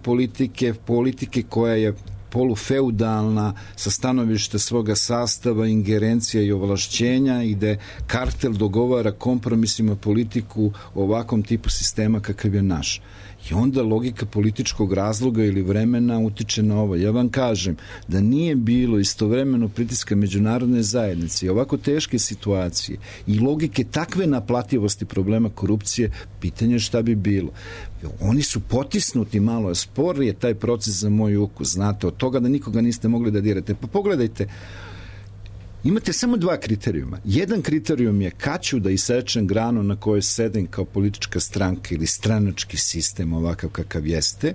S7: politike koja je polufeudalna sa stanovišta svoga sastava, ingerencija i ovlašćenja, i da kartel dogovara kompromisima politiku o ovakvom tipu sistema kakav je naš. I onda logika političkog razloga ili vremena utiče na ovo. Ja vam kažem da nije bilo istovremeno pritiska međunarodne zajednice i ovako teške situacije i logike takve naplativosti problema korupcije, pitanje šta bi bilo. Oni su potisnuti, malo spor je taj proces za moj ukus, znate, od toga da nikoga niste mogli da dirate. Pa pogledajte, imate samo 2 kriterijuma. Jedan kriterijum je kad ću da isečem granu na kojoj sedim kao politička stranka ili stranački sistem ovakav kakav jeste,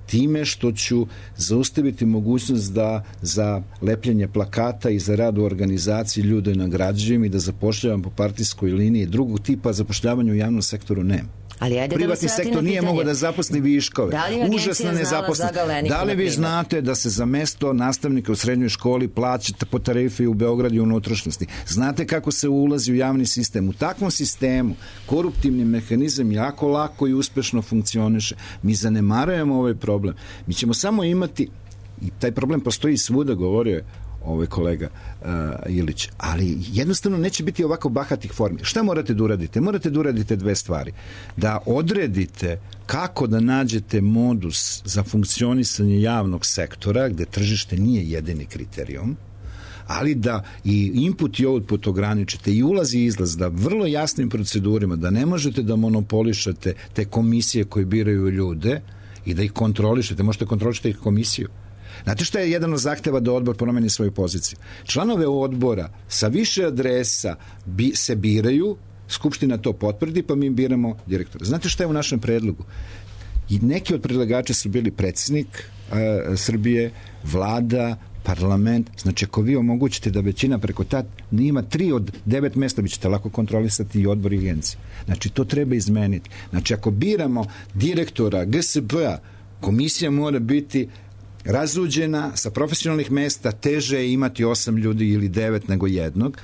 S7: time što ću zaustaviti mogućnost da za lepljenje plakata i za rad u organizaciji ljude nagrađujem i da zapošljavam po partijskoj liniji. Drugog tipa zapošljavanja u javnom sektoru nema. Privatni sektor nije mogao da zaposli viškove. Užasna nezaposlenost. Da li vi znate da se za mesto nastavnika u srednjoj školi plaćate po tarifi u Beogradu i unutrašnjosti? Znate kako se ulazi u javni sistem? U takvom sistemu koruptivni mehanizam jako lako i uspešno funkcioniše. Mi zanemarujemo ovaj problem. Mi ćemo samo imati, i taj problem postoji svuda, govorio je ovaj kolega Ilić, ali jednostavno neće biti ovako bahatih formi. Šta morate da uradite? Morate da uradite 2 stvari. Da odredite kako da nađete modus za funkcionisanje javnog sektora, gde tržište nije jedini kriterijum, ali da i input i output ograničite i ulaz i izlaz, da vrlo jasnim procedurima, da ne možete da monopolišete te komisije koje biraju ljude i da ih kontrolišete. Možete kontrolišete ih komisiju. Znate šta je jedan od zahteva da odbor promeni svoju poziciju? Članove odbora sa više adresa se biraju, Skupština to potvrdi, pa mi biramo direktora. Znate šta je u našem predlogu? I neki od predlagača su bili predsjednik Srbije, vlada, parlament. Znači, ako vi omogućite da većina preko ima 3 od 9 mesta, vi ćete lako kontrolisati i odbor i agencije. Znači, to treba izmeniti. Znači, ako biramo direktora GSP-a, komisija mora biti razuđena sa profesionalnih mesta, teže je imati 8 ljudi ili 9 nego jednog.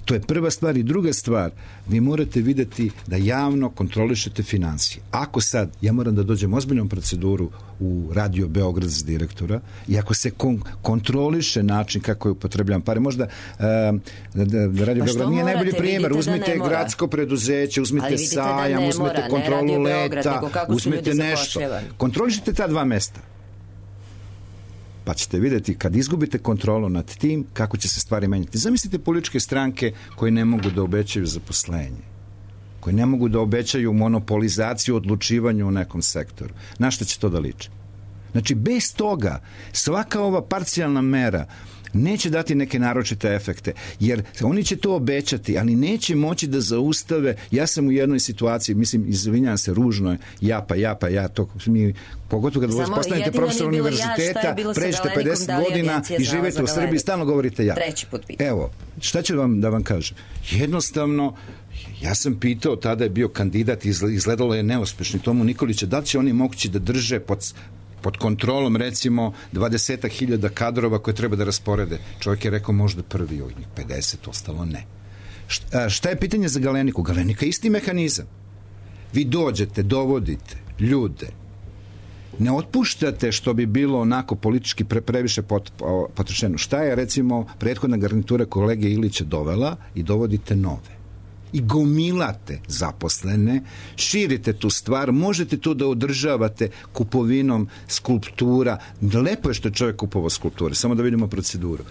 S7: To je prva stvar. I druga stvar, vi morate videti da javno kontrolišete financije. Ako sad, ja moram da dođem ozbiljnom proceduru u Radio Beograd za direktora, i ako se kontroliše način kako je upotrebljavam pare, možda Radio Beograd nije najbolji primjer. Uzmite gradsko preduzeće, uzmite sajam, uzmite kontrolu leta, uzmite nešto. Kontrolišite ta 2 mesta. Pa ćete vidjeti kad izgubite kontrolu nad tim kako će se stvari menjati. Zamislite političke stranke koje ne mogu da obećaju zaposlenje, koje ne mogu da obećaju monopolizaciju odlučivanja u nekom sektoru. Na što će to da liči? Znači, bez toga svaka ova parcijalna mera neće dati neke naročite efekte, jer oni će to obećati, ali neće moći da zaustave. Ja sam u jednoj situaciji, mislim, izvinjam se, ružno je, ja, to mi, pogotovo kad postanete profesor univerziteta, pređete 50 godina i živete u Srbiji, stalno govorite ja. Evo, šta ću da vam kažem? Jednostavno, ja sam pitao, tada je bio kandidat, izgledalo je neuspešni, Tomu Nikolića, da li će oni mogući da drže pod kontrolom recimo 20.000 kadrova koje treba da rasporede. Čovjek je rekao možda prvi od njih, 50, ostalo ne. Šta je pitanje za Galeniku? Galenika je isti mehanizam. Vi dođete, dovodite ljude, ne otpuštate što bi bilo onako politički previše potrošeno. Šta je recimo prethodna garnitura kolege Ilića dovela i dovodite nove. I gomilate zaposlene, širite tu stvar, možete to da održavate kupovinom skulptura. Lepo je što je čovjek kupovao skulpture, samo da vidimo proceduru.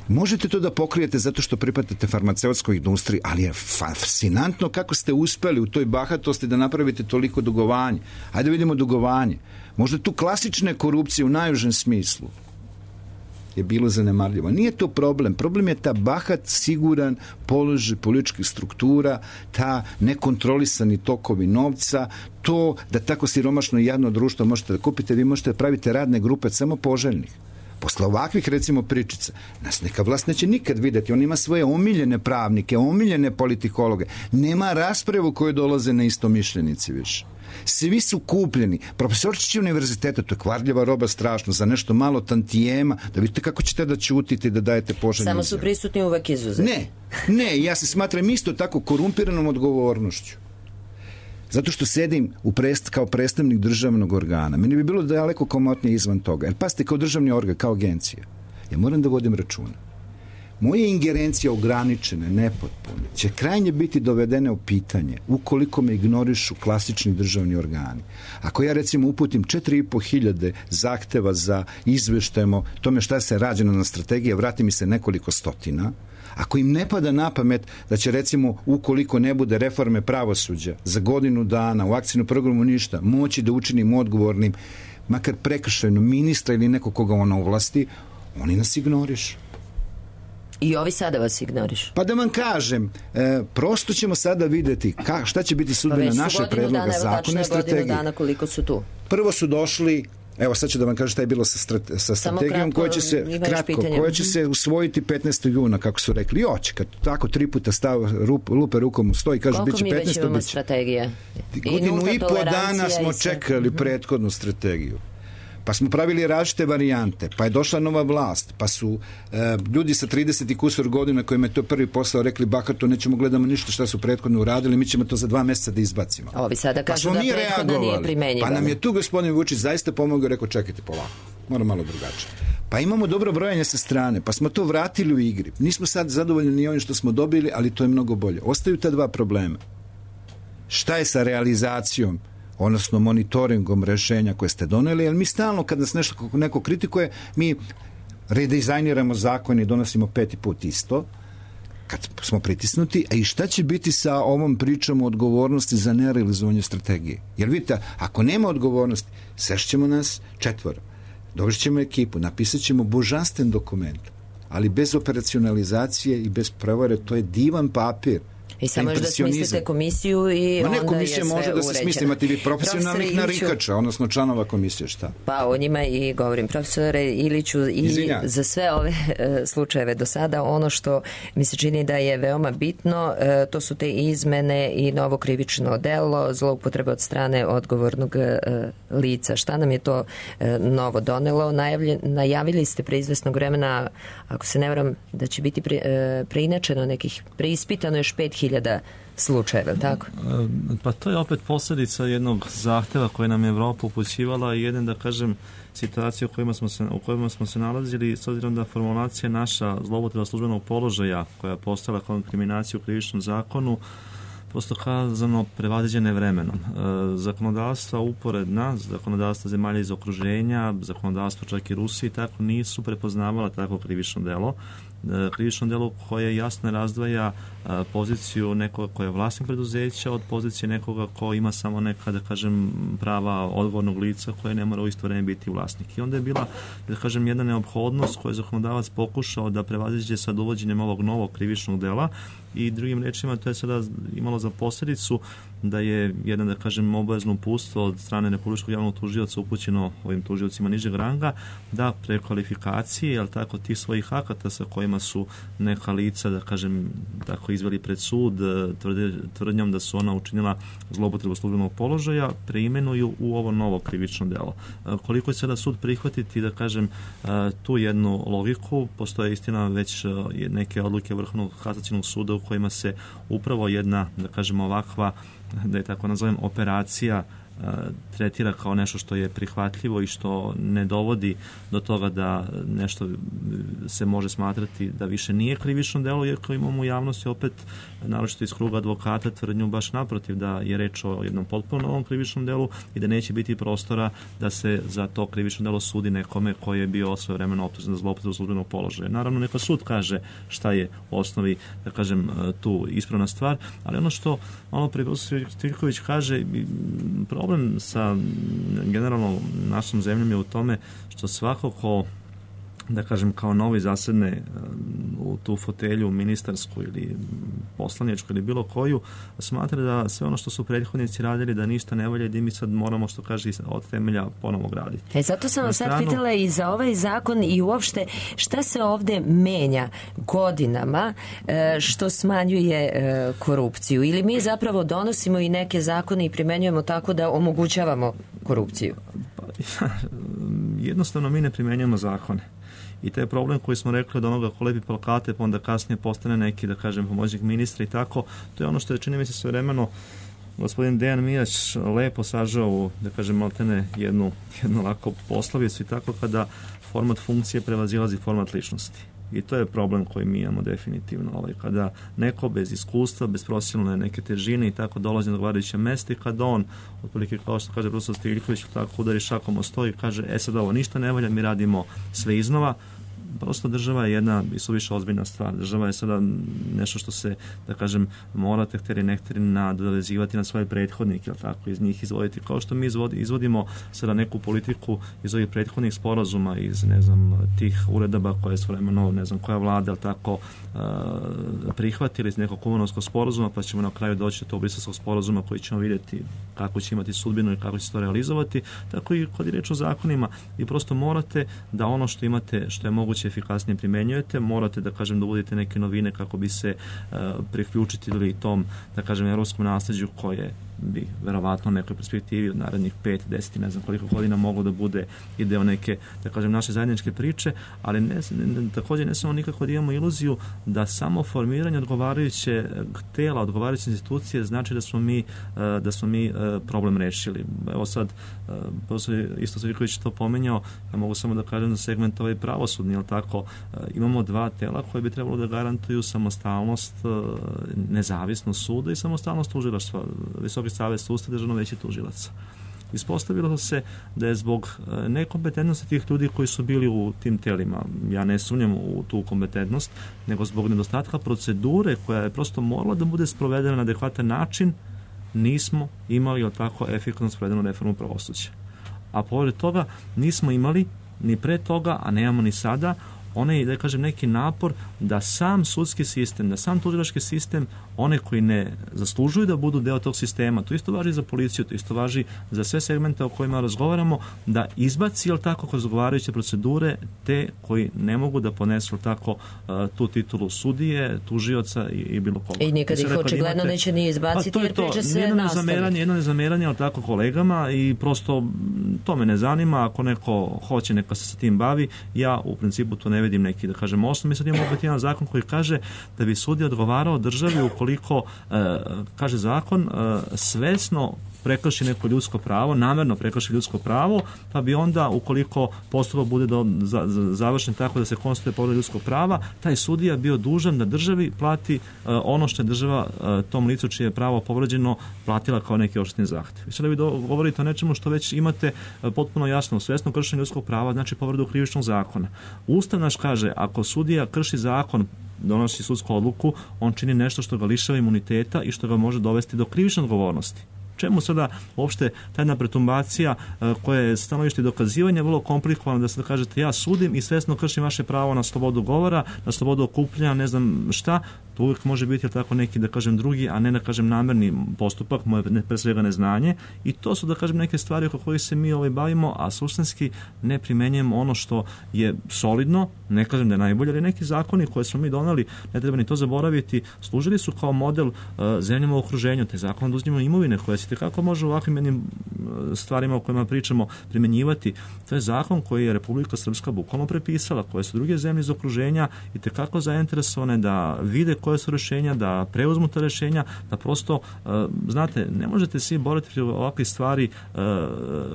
S7: Možete to da pokrijete zato što pripadate farmaceutskoj industriji, ali je fascinantno kako ste uspeli u toj bahatosti da napravite toliko dugovanje. Hajde vidimo dugovanje. Možda tu klasične korupcije u najužem smislu je bilo zanemarljivo. Nije to problem. Problem je ta bahat, siguran položaj političkih struktura, ta nekontrolisani tokovi novca, to da tako siromašno i jadno društvo možete da kupite, vi možete da pravite radne grupe samo poželjnih. Posle ovakvih, recimo, pričica, nas neka vlast neće nikad videti. On ima svoje omiljene pravnike, omiljene politikologe. Nema raspravu koje dolaze na istomišljenici više. Svi su kupljeni. Profesorčići univerziteta, to je kvarljiva roba strašno, za nešto malo tantijema, da vidite kako ćete da ćutite i da dajete poželjne.
S2: Samo su prisutni uvek izuzeti.
S7: Ne, ja se smatram isto tako korumpiranom odgovornošću. Zato što sedim kao predstavnik državnog organa. Meni bi bilo daleko komotnije izvan toga. Jer pazite, kao državni organ, kao agencija, ja moram da vodim računa. Moje ingerencije ograničene, nepotpune, će krajnje biti dovedene u pitanje ukoliko me ignorišu klasični državni organi. Ako ja recimo uputim 4.500 zahteva za izveštajemo tome šta se rađeno na strategiji, vrati mi se nekoliko stotina, ako im ne pada na pamet da će recimo ukoliko ne bude reforme pravosuđa za godinu dana u akcijnom programu ništa, moći da učinim odgovornim makar prekršajno ministra ili neko koga ona ovlasti, oni nas ignorišu.
S2: I ovi sada vas ignoriš.
S7: Pa da vam kažem, prosto ćemo sada videti šta će biti sudbina naše predloga zakona i strategije.
S2: Godinu dana koliko su tu.
S7: Prvo su došli, evo sad ću da vam kažem šta je bilo sa strategijom koja će se usvojiti 15. juna, kako su rekli. Oće, kad tako 3 puta lupe rukom u sto i kaže biće 15.
S2: Koliko mi već imamo strategije?
S7: Godinu i po dana smo čekali prethodnu strategiju. Pa smo pravili različite varijante, pa je došla nova vlast, pa su ljudi sa 30 i kusur godina kojima je to prvi posao rekli bahato, nećemo gledamo ništa šta su prethodno uradili, mi ćemo to za 2 mjeseca da izbacimo.
S2: Ovi sada kažu da prethodno nije primenjivo.
S7: Pa nam je tu gospodin Vučić zaista pomogao, rekao čekajte polako, mora malo drugačije. Pa imamo dobro brojanje sa strane, pa smo to vratili u igri. Nismo sad zadovoljni ni ovim što smo dobili, ali to je mnogo bolje. Ostaju ta 2 problema. Šta je sa realizacijom, odnosno monitoringom rešenja koje ste doneli, jer mi stalno kad nas neko kritikuje, mi redizajniramo zakon i donosimo 5. put isto, kad smo pritisnuti, a i šta će biti sa ovom pričom o odgovornosti za nerealizovanje strategije? Jer vidite, ako nema odgovornosti, sešćemo nas 4, dođemo ekipu, napisat ćemo božanstven dokument, ali bez operacionalizacije i bez prevare, to je divan papir.
S2: I samo još da smislite komisiju i onda je sve
S7: komisija može da se smisli, imate vi profesionalnih narikača, odnosno članova komisije, šta?
S2: Pa o njima i govorim, profesore Iliću, i za sve ove slučajeve do sada, ono što mi se čini da je veoma bitno, to su te izmene i novo krivično delo, zloupotreba od strane odgovornog lica. Šta nam je to novo donelo? Najavili ste pre izvesnog vremena, ako se ne varam, da će biti preinačeno nekih, preispitano još 5.000 slučajeva, tako?
S8: Pa to je opet posljedica jednog zahteva koje nam je Evropa upućivala i jedan, da kažem, situacija u kojima smo se nalazili, s obzirom da formulacija naša zloupotreba službenog položaja koja je postala kao inkriminacija u krivičnom zakonu, prosto kazano prevaziđene vremenom. Zakonodavstva uporedna, zakonodavstva zemalja iz okruženja, zakonodavstva čak i Rusije, tako nisu prepoznavala tako krivično delo. Krivično delo koje jasno razdvaja poziciju nekoga ko je vlasnik preduzeća od pozicije nekoga ko ima samo neka, da kažem, prava odgovornog lica koje ne mora u isto vreme biti vlasnik. I onda je bila, da kažem, jedna neophodnost koju je zakonodavac pokušao da prevaziđe sad uvođenjem ovog novog krivičnog dela i drugim rečima to je sada imalo imalo za posljedicu da je jedna, da kažem, obavezno uputstvo od strane Republičkog javnog tužioca upućeno ovim tužiocima nižeg ranga da prekvalifikacije, jel tako, tih svojih akata sa kojima su neka lica, da kažem, tako izveli pred sud tvrdnjom da su ona učinila zloupotrebu službenog položaja, preimenuju u ovo novo krivično delo. Koliko će sada sud prihvatiti, da kažem, tu jednu logiku, postoje istina već neke odluke Vrhovnog kasacionog suda u kojima se upravo jedna, da kažem, ovakva, da je tako nazovem, operacija tretira kao nešto što je prihvatljivo i što ne dovodi do toga da nešto se može smatrati da više nije krivično delo, jer kao imamo u javnosti opet, naročito iz kruga advokata, tvrdnju baš naprotiv da je reč o jednom potpuno novom krivičnom delu i da neće biti prostora da se za to krivično delo sudi nekome koji je bio svojevremeno optužen za zloupotrebu službenog položaja. Naravno, neka sud kaže šta je u osnovi, da kažem, tu ispravna stvar, ali ono što malo prije profesor Stiljković kaže, problem sa generalno našom zemljom je u tome što svako ko, da kažem, kao novi zasedne u tu fotelju ministarsku ili poslaničku ili bilo koju, smatra da sve ono što su prethodnici radili da ništa ne valja i da mi sad moramo, što kaže, od temelja ponovo graditi.
S2: Zato sam vas sad pitala i za ovaj zakon i uopšte šta se ovde menja godinama što smanjuje korupciju, ili mi zapravo donosimo i neke zakone i primenjujemo tako da omogućavamo korupciju?
S8: Jednostavno mi ne primenjujemo zakone. I taj problem koji smo rekli od onoga ko lepi plakate, pa onda kasnije postane neki, da kažem, pomoćnik ministra i tako, to je ono što je, čini mi se, svojevremeno gospodin Dejan Mijać lepo sažao u, da kažem, maltene jednu lako poslovicu i tako, kada format funkcije prevazilazi format ličnosti. I to je problem koji mi imamo definitivno. Kada neko bez iskustva, bez profesionalne neke težine i tako dolazi na odgovarajuće mesta i kada on, otprilike kao što kaže profesor Stiljković, tako udari šakom o sto i kaže, sad ovo ništa ne valja, mi radimo sve iznova. Prosto država je jedna i suviše ozbiljna stvar. Država je sada nešto što se, da kažem, morate htjeli nehtjeri nadovezivati na svoje prethodnike, ili tako, iz njih izvoditi. Kao što mi izvodimo sada neku politiku iz ovih prethodnih sporazuma, iz, ne znam, tih uredaba koje su vremeno, ne znam, koja vlada, ili tako, prihvatili iz nekog Kumanovskog sporazuma, pa ćemo na kraju doći do tog Briselskog sporazuma koji ćemo vidjeti kako će imati sudbinu i kako će se to realizovati. Tako i kod je reč o zakonima, i prosto morate da ono što imate, što je moguće efikasnije primenjujete, morate, da kažem, da uvodite neke novine kako bi se priključili tom, da kažem, evropskom nasljeđu koje bi verovatno u nekoj perspektivi od narednih 5, 10, ne znam koliko godina moglo da bude i deo neke, da kažem, naše zajedničke priče, ali također ne samo nikako da imamo iluziju da samo formiranje odgovarajuće tela, odgovarajuće institucije znači da smo mi problem rešili. Evo sad, isto Stiljković to pomenjao, ja mogu samo da kažem da segment ovaj pravosudni, jel tako, imamo dva tela koje bi trebalo da garantuju samostalnost, nezavisnost suda i samostalnost tužilaštva, Visoki savet sudstva, Državno veće tužilaca. Ispostavilo se da je zbog nekompetentnosti tih ljudi koji su bili u tim telima, ja ne sumnjam u tu kompetentnost, nego zbog nedostatka procedure koja je prosto morala da bude sprovedena na adekvatan način, nismo imali, jel tako, efikasno sprovedenu reformu pravosuđa. A pored toga nismo imali ni pre toga, a nemamo ni sada, onaj, da kažem, neki napor da sam sudski sistem, da sam tužilački sistem, one koji ne zaslužuju da budu deo tog sistema, to isto važi za policiju, to isto važi za sve segmente o kojima razgovaramo, da izbaci, jel tako, kroz odgovarajuće procedure te koji ne mogu da ponesu, jel tako, tu titulu sudije, tužioca i bilo koga.
S2: I nikad ih očigledno neće ni izbaciti, jer priča se nastavi.
S8: Jedno nezameranje, jel tako, kolegama, i prosto to me ne zanima, ako neko hoće, neka se sa tim bavi, ja u principu to ne vidim neki, da kažem, osnov. Mi sad imamo opet jedan zakon koji kaže da bi sudija odgovarao državi ukoliko, kaže zakon, svesno prekrši neko ljudsko pravo, namerno prekrši ljudsko pravo, pa bi onda, ukoliko postupak bude završen tako da se konstatuje povreda ljudskog prava, taj sudija bio dužan da državi plati ono što je država tom licu čije je pravo povređeno platila kao neki odštetni zahtev. I sada vi govorite o nečemu što već imate potpuno jasno, svesno kršenje ljudskog prava, znači povredu krivičnog zakona. Ustav naš kaže, ako sudija krši zakon, donosi sudsku odluku, on čini nešto što ga lišava imuniteta i što ga može dovesti do krivične odgovornosti. Čemu sada uopšte ta jedna pretumbacija koja je stanovište dokazivanja vrlo komplikovana, da se kažete ja sudim i svesno kršim vaše pravo na slobodu govora, na slobodu okupljanja, ne znam šta, To uvijek može biti tako neki, da kažem, drugi, a ne da kažem namerni postupak, moje pre svega neznanje, i to su, da kažem, neke stvari oko kojih se mi bavimo, a suštinski ne primenjujemo ono što je solidno, ne kažem da je najbolje, ali neki zakoni koje smo mi donali, ne treba ni to zaboraviti, služili su kao model zemljama u okruženju, te zakon da uzimamo imovine koje se tekako može u ovakvim jednim stvarima o kojima pričamo primenjivati. To je zakon koji je Republika Srpska bukvalno prepisala, koje su druge zemlje iz okruženja i tekako zainteresovane da vide koje su rešenja, da preuzmu ta rešenja, da prosto, znate, ne možete svi boriti protiv ovakvih stvari,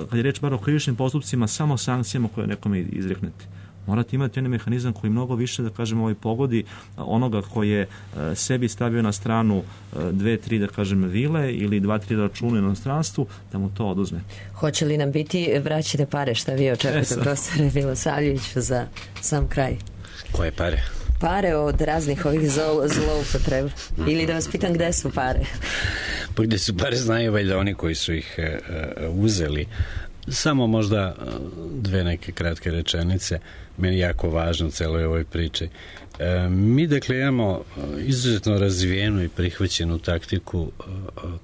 S8: kad je reč bar o krivičnim postupcima, samo sankcijama koje nekome izreknete. Morate imati jedan mehanizam koji mnogo više, da kažemo, pogodi onoga koji je sebi stavio na stranu 2-3, da kažem, vile ili 2-3 računa u inostranstvu, da mu to oduzme.
S2: Hoće li nam biti vraćene pare? Šta vi očekujete, profesore Milosavljeviću, za sam kraj?
S6: Koje pare?
S2: Pare od raznih ovih zloupotreba. Ili da vas pitam gde su pare?
S6: Pa gde su pare znaju valjda oni koji su ih uzeli. Samo možda dve neke kratke rečenice, meni jako važno u celoj ovoj priči. Mi dakle imamo izuzetno razvijenu i prihvaćenu taktiku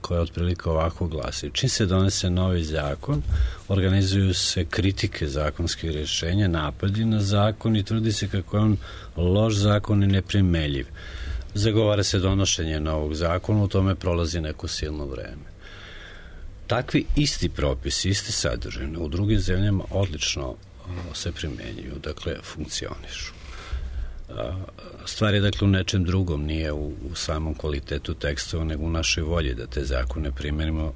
S6: koja otprilike ovako glasi. Čim se donese novi zakon, organizuju se kritike zakonskih rješenja, napadi na zakon i tvrdi se kako je on loš zakon i neprimeljiv. Zagovara se donošenje novog zakona, u tome prolazi neko silno vreme. Takvi isti propisi, iste sadržine u drugim zemljama odlično se primenjuju, dakle funkcionišu. Stvar je dakle u nečem drugom, nije u samom kvalitetu tekstova, nego u našoj volji da te zakone primenimo,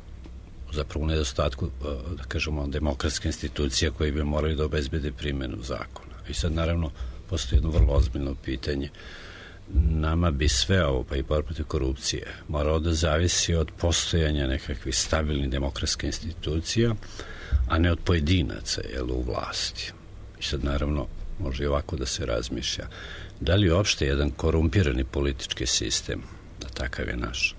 S6: zapravo u nedostatku, da kažemo, demokratske institucije koje bi morali da obezbede primjenu zakona. I sad naravno postoji jedno vrlo ozbiljno pitanje. Nama bi sve ovo, pa i borba protiv korupcije, moralo da zavisi od postojanja nekakvih stabilnih demokratskih institucija, a ne od pojedinaca u vlasti. I sad naravno može i ovako da se razmišlja. Da li uopšte jedan korumpirani politički sistem, da takav je naš,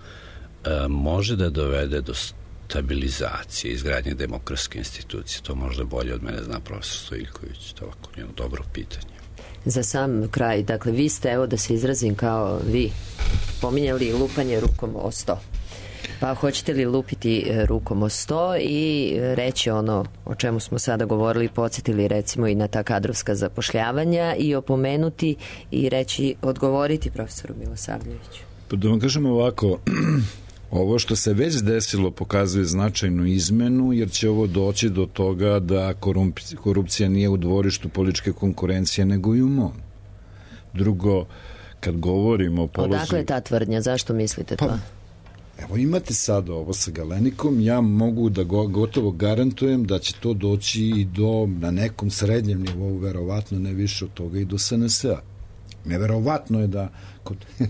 S6: može da dovede do stabilizacije, izgradnje demokratske institucije? To možda bolje od mene zna profesor Stojiljković. To je ovako jedno dobro pitanje.
S2: Za sam kraj, dakle, vi ste, evo da se izrazim kao vi, pominjali lupanje rukom o sto. Pa hoćete li lupiti rukom o sto i reći ono o čemu smo sada govorili, podsjetili recimo i na ta kadrovska zapošljavanja i opomenuti i reći, odgovoriti profesoru Milosavljeviću?
S7: Pa da vam kažem ovako, ovo što se već desilo pokazuje značajnu izmenu, jer će ovo doći do toga da korupcija nije u dvorištu političke konkurencije, nego i u mom. Drugo, kad govorimo o položaju...
S2: Odakle ta tvrdnja? Zašto mislite to?
S7: Evo imate sad ovo sa Galenikom, ja mogu da gotovo garantujem da će to doći i do, na nekom srednjem nivou, verovatno ne više od toga, i do SNS-a. Neverovatno je da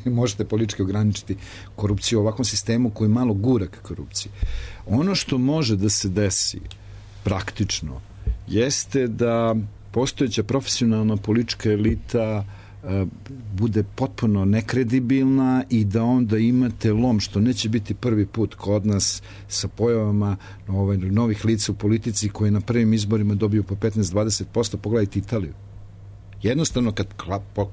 S7: možete politički ograničiti korupciju u ovakvom sistemu koji je malo gura ka korupciji. Ono što može da se desi praktično jeste da postojeća profesionalna politička elita bude potpuno nekredibilna i da onda imate lom, što neće biti prvi put kod nas sa pojavama novih lica u politici koji na prvim izborima dobiju po 15-20%. Pogledajte Italiju. Jednostavno, kad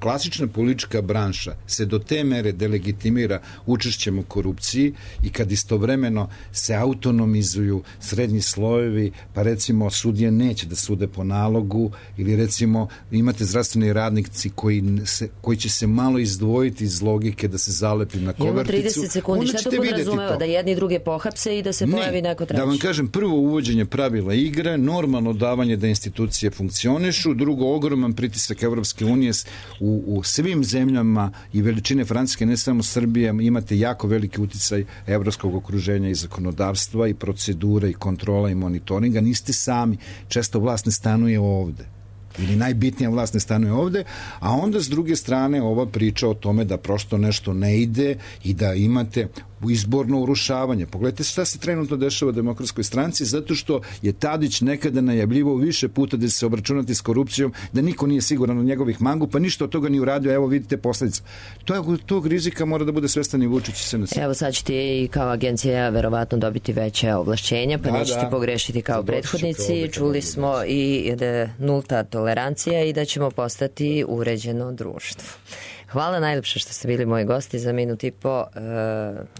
S7: klasična politička branša se do te mere delegitimira učešćem u korupciji i kad istovremeno se autonomizuju srednji slojevi, pa recimo sudije neće da sude po nalogu, ili recimo imate zdravstveni radnici koji će se malo izdvojiti iz logike da se zalepi na koverticu.
S2: Imamo 30 sekundi, šta to podrazumeva? Da jedni druge pohapse i da se pojavi neko treći?
S7: Da vam kažem, prvo uvođenje pravila igre, normalno davanje da institucije funkcionišu, drugo ogroman pritisak Evropske unije u svim zemljama i veličine Francuske, ne samo Srbije, imate jako veliki uticaj evropskog okruženja i zakonodavstva i procedura i kontrola i monitoringa. Niste sami, često vlast ne stanuje ovde ili najbitnija vlast ne stanuje ovde, a onda s druge strane ova priča o tome da prosto nešto ne ide i da imate izborno urušavanje. Pogledajte šta se trenutno dešava u Demokratskoj stranci, zato što je Tadić nekada najavljivao više puta da će se obračunati s korupcijom, da niko nije siguran od njegovih mangu, pa ništa od toga ni uradio. Evo vidite posledice. Tog rizika mora da bude svestan i Vučić i SNS.
S2: Evo sad ćete i kao agencija verovatno dobiti veće ovlašćenja, pa nećete pogrešiti kao prethodnici. Čuli smo i da nulta tolerancija i da ćemo postati uređeno društvo. Hvala najljepše što ste bili moji gosti za minut i po.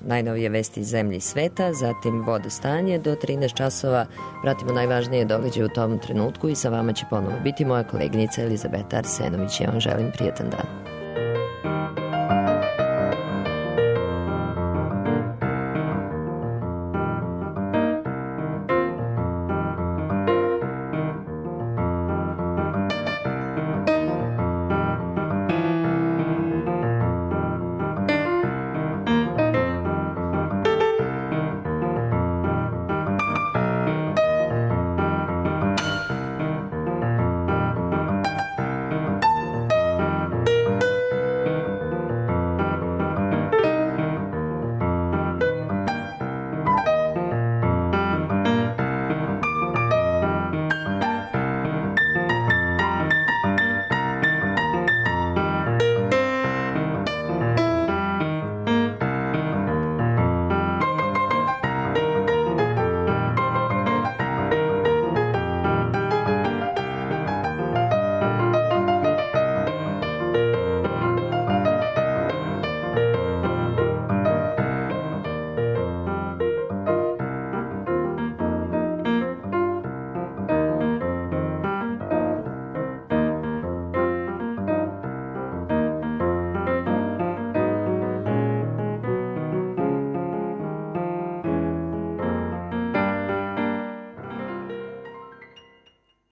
S2: Najnovije vesti iz zemlje i sveta, zatim vodostanje do 13 časova. Pratimo najvažnije događaje u tom trenutku i sa vama će ponovo biti moja koleginica Elizabeta Arsenović. Ja vam želim prijetan dan.